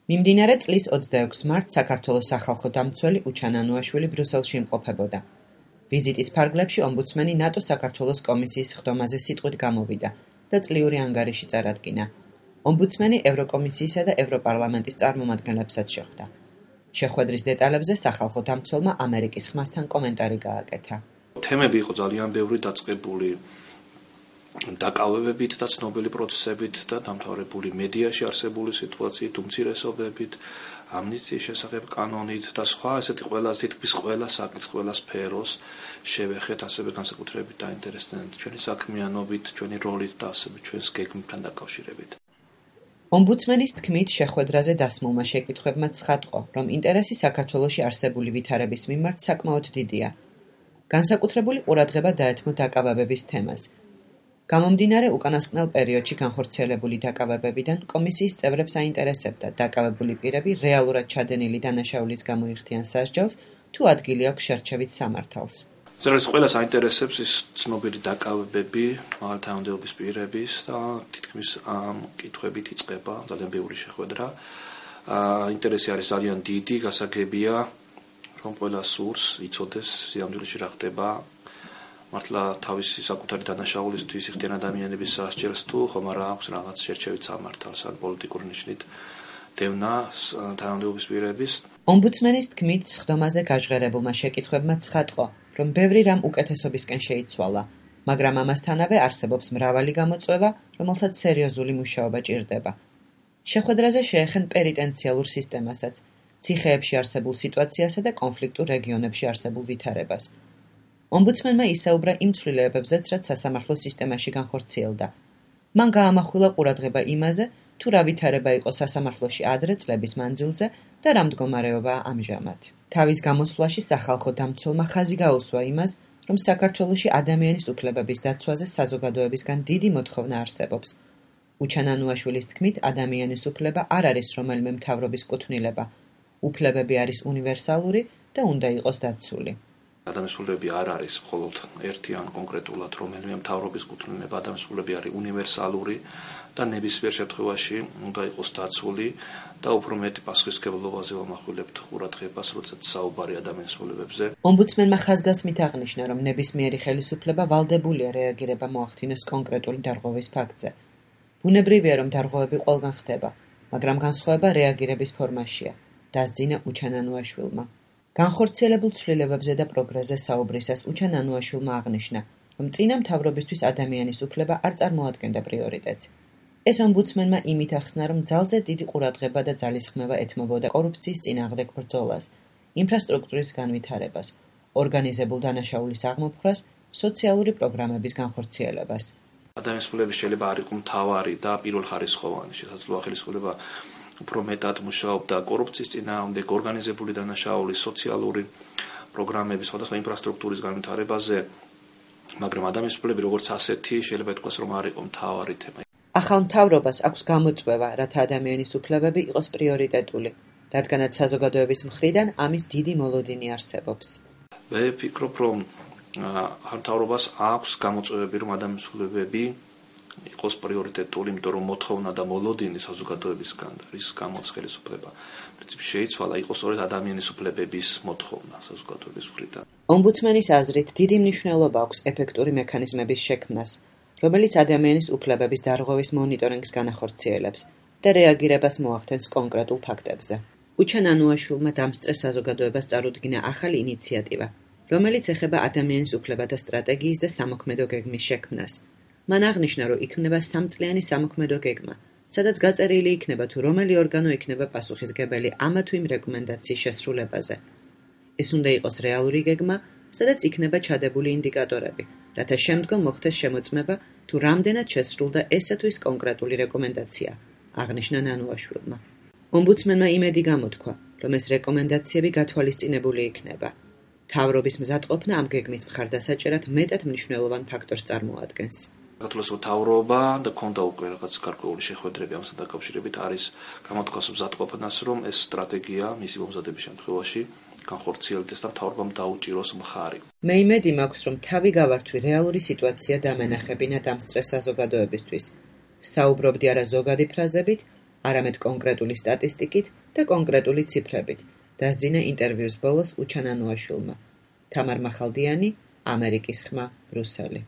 მიმდინარე წლის 26 მარტს საქართველოს სახალხო დამცველი უჩან ანუაშვილი ბრიუსელში იმყოფებოდა. ვიზიტის ფარგლებში ომბუდსმენი ნატოს საქართველოს კომისიის ხდომაზე სიტყვით გამოვიდა და წლიური ანგარიში წარადგინა. ომბუდსმენი ევროკომისიისა და ევროპარლამენტის წარმომადგენლებსაც შეხვდა. შეხვედრის დეტალებზე სახალხო დამცველმა ამერიკის ხმასთან კომენტარი გააკეთა. თემები იყო ძალიან ბევრი დაწყებული დაკავებებით და ცნობილი პროცესებით და დამთავრებული მედიაში არსებული სიტუაციით, უმცირესობებით, ამნისტიის შესახებ კანონით და სხვა ესეთი თითქმის ყველა საკითხს, ყველა სფეროს შევეხეთ, ასევე განსაკუთრებით დაინტერესდნენ ჩვენი საქმიანობით, ჩვენი როლით და ასევე ჩვენს გეგმებთან დაკავშირებით. ომბუდსმენის თქმით, შეხვედრაზე დასმულმა შეკითხვებმა ცხადყო, რომ ინტერესი საქართველოში არსებული ვითარების მიმართ საკმაოდ დიდია. განსაკუთრებული ყურადღება დაეთმო დაკავებების თემას. გამომდინარე უკანასკნელ პერიოდში განხორციელებული დაკავებებიდან კომისიის წევრებს აინტერესებდა დაკავებული პირები რეალურად ჩადენილი დანაშაულის გამო იხდიან სასჯელს თუ ადგილი აქვს შერჩევით სამართალს. ზოგადად ყველას აინტერესებს ის ცნობილი დაკავებები მაღალთანადობის პირების და თითქმის ამ კითხვებით იწყება ძალიან ბევრი შეხვედრა. ინტერესი არის ძალიან დიდი, გასაგებია რომ ყველა სურს იცოდეს სიამდვილეში რა ხდება. მართლა თავისი საკუთარი დანაშაულისთვის იხდიან ადამიანების სასჯელს თუ ხომ არა აქვს რაღაც შერჩევით სამართალს ან პოლიტიკური ნიშნით დევნა თანამდებობის პირების. ომბუდსმენის თქმით, ხდომაზე გაჟღერებულმა შეკითხვებმა ცხადყო, რომ ბევრი რამ უკეთესობისკენ შეიცვალა, მაგრამ ამასთანავე არსებობს მრავალი გამოწვევა, რომელსაც სერიოზული მუშაობა ჭირდება. შეხვედრაზე შეეხენ პენიტენციალურ სისტემასაც, ციხეებში არსებულ სიტუაციასა და კონფლიქტურ რეგიონებში არსებულ ვითარებას. ომბუდსმენმა ისაუბრა იმ ცვლილებებზეც, რაც სასამართლო სისტემაში განხორციელდა. მან გაამახვილა ყურადღება იმაზე, თუ რა ვითარება იყო სასამართლოში ადრე წლების მანძილზე და რა მდგომარეობაა ამჟამად. თავის გამოსვლაში სახალხო დამცველმა ხაზი გაუსვა იმას, რომ საქართველოში ადამიანის უფლებების დაცვაზე საზოგადოებისგან დიდი მოთხოვნა არსებობს. უჩან ანუაშვილის თქმით, ადამიანის უფლება არ არის რომელიმე მთავრობის კუთვნილება. უფლებები არის უნივერსალური და უნდა იყოს დაცული. ადამიანის უფლებები არ არის მხოლოდ ერთი ან კონკრეტულად რომელიმე მთავრობის კუთვნილება, ადამიანის უფლებები არის უნივერსალური და ნებისმიერ შემთხვევაში უნდა იყოს დაცული და უფრო მეტი პასუხისმგებლობაზე ვამახვილებთ ყურადღებას, როდესაც საუბარი ადამიანის უფლებებზე. ომბუდსმენმა ხაზგასმით აღნიშნა, რომ ნებისმიერი ხელისუფლება ვალდებულია რეაგირება მოახდინოს კონკრეტული დარღვევის ფაქტზე. ბუნებრივია, რომ დარღვევები ყველგან ხდება, მაგრამ განსხვავება რეაგირების ფორმაშია, დასძინა უჩან ანუაშვილმა. განხორციელებულ ცვლილებებზე და პროგრესზე საუბრისას უჩან ანუაშვილმა აღნიშნა, რომ წინა მთავრობისთვის ადამიანის უფლება არ წარმოადგენდა პრიორიტეტს. ეს ომბუდსმენმა იმით ახსნა, რომ ძალზე დიდი ყურადღება და ძალისხმევა ეთმობოდა კორუფციის წინააღმდეგ ბრძოლას, ინფრასტრუქტურის განვითარებას, ორგანიზებულ დანაშაულის აღმოფხვრას, სოციალური პროგრამების განხორციელებას. ადამიანის უფლებები შეიძლება არ იყოს მთავარი და პირველხარისხოვანი, შესაძლოა ხელისუფლება უფრო მეტად მუშაობდა კორუფციის წინააღმდეგ, ორგანიზებული დანაშაულის, სოციალური პროგრამების, სხვადასხვა ინფრასტრუქტურის განვითარებაზე, მაგრამ ადამიანის უფლებები როგორც ასეთი შეიძლება ითქვას, რომ არ იყო მთავარი თემა. ახალ მთავრობას აქვს გამოწვევა, რათა ადამიანის უფლებები იყოს პრიორიტეტული, რადგანაც საზოგადოების მხრიდან ამის დიდი მოლოდინი არსებობს. მე ვფიქრობ, რომ მთავრობას აქვს გამოწვევები, რომ ადამიანის უფლებები იყოს პრიორიტეტული, იმიტომ რომ მოთხოვნა და მოლოდინი საზოგადოებისგან რის გამოც ხელისუფლება პრინციპში შეიცვალა, იყოს სწორედ ადამიანის უფლებების მოთხოვნა საზოგადოების მხრიდან. ომბუდსმენის აზრით, დიდი მნიშვნელობა აქვს ეფექტური მექანიზმების შექმნას, რომელიც ადამიანის უფლებების დარღვევის მონიტორინგს განახორციელებს და რეაგირებას მოახდენს კონკრეტულ ფაქტებზე. უჩან ანუაშვილმა დამსწრე საზოგადოებას წარუდგინა ახალი ინიციატივა, რომელიც ეხება ადამიანის უფლებათა სტრატეგიის და სამოქმედო გეგმის შექმნას. მან აღნიშნა, რომ იქნება სამწლიანი სამოქმედო გეგმა, სადაც გაწერილი იქნება თუ რომელი ორგანო იქნება პასუხისმგებელი ამა თუ იმ რეკომენდაციის შესრულებაზე. ეს უნდა იყოს რეალური გეგმა, სადაც იქნება ჩადებული ინდიკატორები, რათა შემდგომ მოხდეს შემოწმება თუ რამდენად შესრულდა ესა თუ ის კონკრეტული რეკომენდაცია, აღნიშნა ანუაშვილმა. ომბუდსმენმა იმედი გამოთქვა, რომ ეს რეკომენდაციები გათვალისწინებული იქნება. მთავრობის მზადყოფნა ამ გეგმის მხარდასაჭერად მეტად მნიშვნელოვან ფაქტორს წარმოადგენს. საქართველოს მთავრობა და ქონდა უკვე რაღაც გარკვეული შეხვედრები ამასთან დაკავშირებით არის გამოთქვას მზადყოფნას, რომ ეს სტრატეგია მისი მომზადების შემთხვევაში განხორციელდეს და მთავრობამ დაუჭიროს მხარი. მე იმედი მაქვს, რომ თავი გავართვი რეალური სიტუაცია დამენახებინა დამსწრე საზოგადოებისთვის. საუბრობდი არა ზოგადი ფრაზებით, არამედ კონკრეტული სტატისტიკით და კონკრეტული ციფრებით, დასძინა ინტერვიუს ბოლოს უჩან ანუაშვილმა. თამარ მახალდიანი, ამერიკის ხმა, ბრუსელი.